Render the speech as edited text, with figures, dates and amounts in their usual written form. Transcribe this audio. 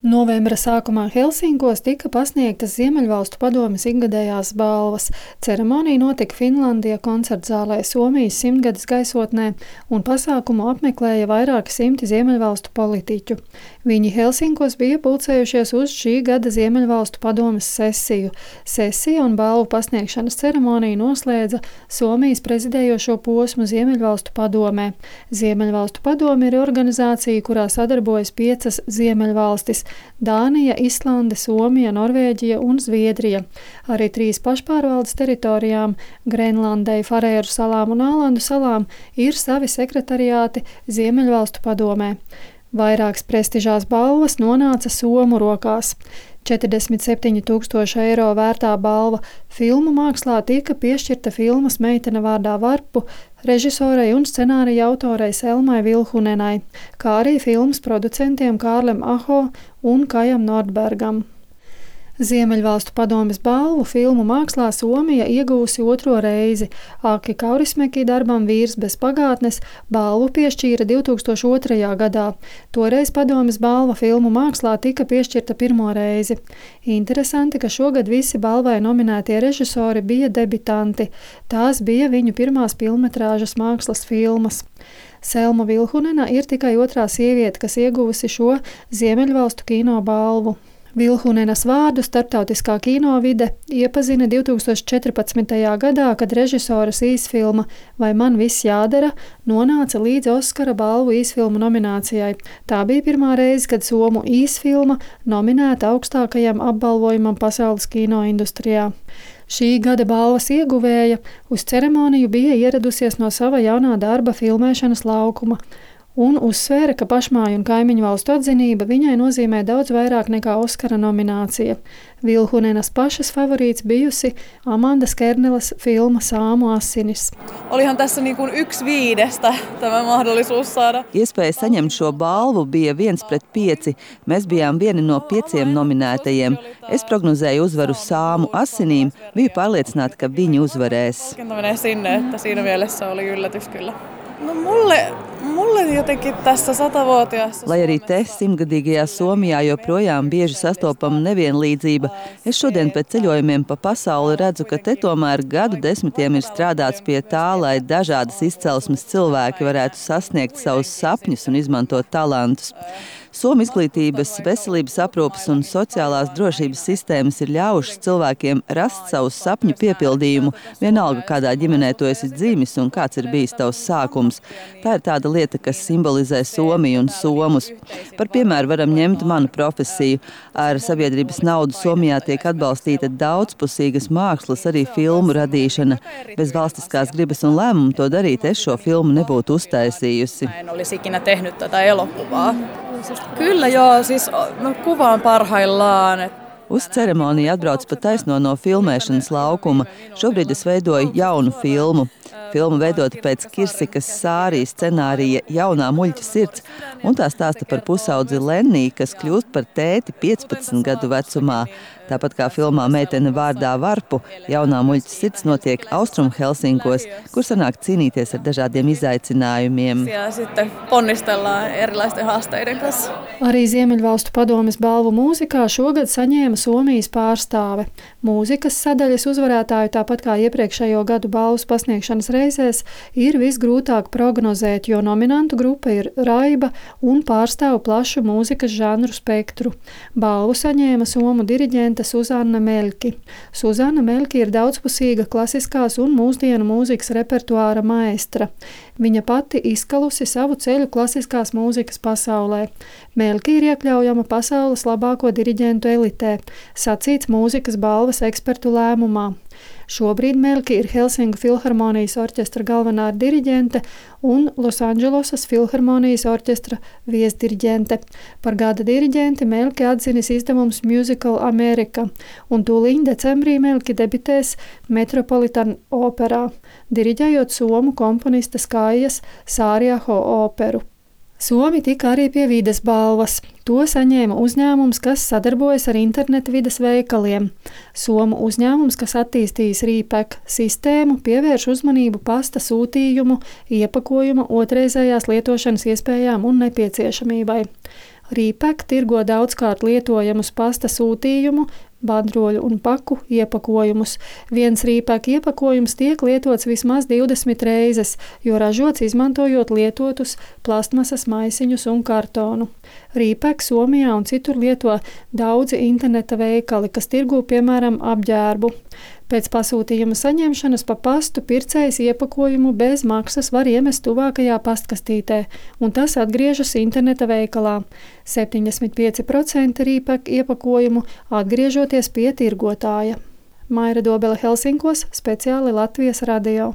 Novembra sākumā Helsinkos tika pasniegtas Ziemeļvalstu padomes ikgadējās balvas. Ceremonija notika Finlandija koncertzālē Somijas 100-gades gaisotnē, un pasākumu apmeklēja vairāki simti Ziemeļvalstu politiķu. Viņi Helsinkos bija pulcējušies uz šī gada Ziemeļvalstu padomes sesiju. Sesija un balvu pasniegšanas ceremonija noslēdza Somijas prezidējošo posmu Ziemeļvalstu padomē. Ziemeļvalstu padome ir organizācija, kurā sadarbojas 5 Ziemeļvalstis – Dānija, Islande, Somija, Norvēģija un Zviedrija. Arī 3 pašpārvaldes teritorijām – Grenlandei, Farēru salām un Ālandu salām – ir savi sekretariāti Ziemeļvalstu padomē. Vairākas prestižās balvas nonāca Somu rokās. 47 000 eiro vērtā balva filmu mākslā tika piešķirta filmas Meitene vārdā Varpu režisorei un scenārija autorei Selmai Vilhunenai, kā arī filmas producentiem Kārlim Aho un Kajam Nordbergam. Ziemeļvalstu padomes balvu filmu mākslā Somija iegūsi 2. reizi. Aki Kaurismäki darbam Vīrs bez pagātnes balvu piešķīra 2002. gadā. Toreiz padomes balva filmu mākslā tika piešķirta 1. reizi. Interesanti, ka šogad visi balvai nominētie režisori bija debitanti. Tās bija viņu pirmās pilnmetrāžas mākslas filmas. Selma Vilhunena ir tikai 2. sieviete, kas ieguvusi šo Ziemeļvalstu kino balvu. Vilhunenas vārdu starptautiskā kinovide iepazina 2014. gadā, kad režisoras īsfilma Vai man viss jādara nonāca līdz Oskara balvu īsfilmu nominācijai. Tā bija pirmā reize, kad somu īsfilma nominēta augstākajam apbalvojumam pasaules kinoindustrijā. Šī gada balvas ieguvēja uz ceremoniju bija ieradusies no sava jaunā darba filmēšanas laukuma un uzsvēra, ka pašmāju un kaimiņu valstu atzinība viņai nozīmē daudz vairāk nekā Oskara nominācija. Vilhunenas pašas favorīts bijusi Amandas Kernelas filma Sāmu asinis. Olihan tässä niin kuin 1/5 tämä mahdollisuus saada. Iespēja saņemt šo balvu bija 1/5. Mēs bijām vieni no 5 nominētajiem. Es prognozēju uzvaru Sāmu asinīm, biju pārliecināta, ka viņi uzvarēs. Sinne, että siinä mielessä oli yllätys kyllä. No mulle jotenkin tässä 100-vuotiaassa... Lai arī te 100-gadīgajā Somijā joprojām bieži sastopama nevienlīdzība, es šodien pēc ceļojumiem pa pasauli redzu, ka te tomēr gadu desmitiem ir strādāts pie tā, lai dažādas izcelsmes cilvēki varētu sasniegt savus sapņus un izmantot talantus. Somu izglītības, veselības aprūpes un sociālās drošības sistēmas ir ļaujušas cilvēkiem rast savu sapņu piepildījumu, vienalga kādā ģimenē tu esi dzimis un kāds ir bijis tavs sākums. Tā ir tāda lieta, kas simbolizē Somiju un somus. Par piemēru varam ņemt manu profesiju. Ar sabiedrības naudu Somijā tiek atbalstīta daudzpusīgas mākslas, arī filmu radīšana. Bez valstiskās gribas un lēmumu to darīt es šo filmu nebūtu uztaisījusi. En olisi ikinä tehnyt tätä elokuvaa. Kyllä joo, siis kuvaan parhaillaan. Uz ceremoniju atbrauc pa taisno no filmēšanas laukuma. Šobrīd es veidoju jaunu filmu. Filma veidota pēc Kirsikas Sārijas scenārija Jaunā muļķa sirds, un tā stāsta par pusaudzi Lennī, kas kļūst par tēti 15 gadu vecumā. Tāpat kā filmā Meitene vārdā Varpu, Jaunā muļķa sirds notiek Austrum Helsinkos, kur sanāk cīnīties ar dažādiem izaicinājumiem. Sitten ponnistellaan erilaisten haasteiden kanssa. Arī Ziemeļvalstu padomes balvu mūzikā šogad saņēma Somijas pārstāve. Mūzikas sadaļas uzvarētāju, tāpat kā iepriekšējo gadu balvas pasniegšanas reizēs, ir visgrūtāk prognozēt, jo nominantu grupa ir raiba un pārstāv plašu mūzikas žanru spektru. Balvu saņēma somu diriģente Susanna Melki. Susanna Melki ir daudzpusīga klasiskās un mūsdienu mūzikas repertuāra maestra. Viņa pati izkalusi savu ceļu klasiskās mūzikas pasaulē. Melki ir iekļaujama pasaules labāko diriģentu elitē, sacīts mūzikas balvas ekspertu lēmumā. Šobrīd Melki ir Helsinku filharmonijas orķestra galvenā diriģente un Losandželosas filharmonijas orķestra viesdiriģente. Par gada diriģenti Melki atzinis izdevums Musical America, un tūliņ decembrī Melki debitēs Metropolitan operā, diriģējot somu komponista Skaijas Sāriaho operu. Somi tika arī pie vides balvas. To saņēma uzņēmums, kas sadarbojas ar interneta vides veikaliem. Somu uzņēmums, kas attīstījis Rīpek sistēmu, pievērš uzmanību pasta sūtījumu, iepakojuma, otrreizējās lietošanas iespējām un nepieciešamībai. Rīpek tirgo daudzkārt lietojamus pasta sūtījumu, bandroļu un paku iepakojumus. Viens Rīpek iepakojums tiek lietots vismaz 20 reizes, jo ražots izmantojot lietotus plastmasas maisiņus un kartonu. Rīpek Somijā un citur lieto daudzi interneta veikali, kas tirgo piemēram apģērbu. Pēc pasūtījuma saņemšanas pa pastu pircējs iepakojumu bez maksas var iemest tuvākajā pastkastītē, un tas atgriežas interneta veikalā. 75% Rīpek iepakojumu atgriežoties pie tirgotāja. Maira Dobele Helsinkos, speciāli Latvijas radio.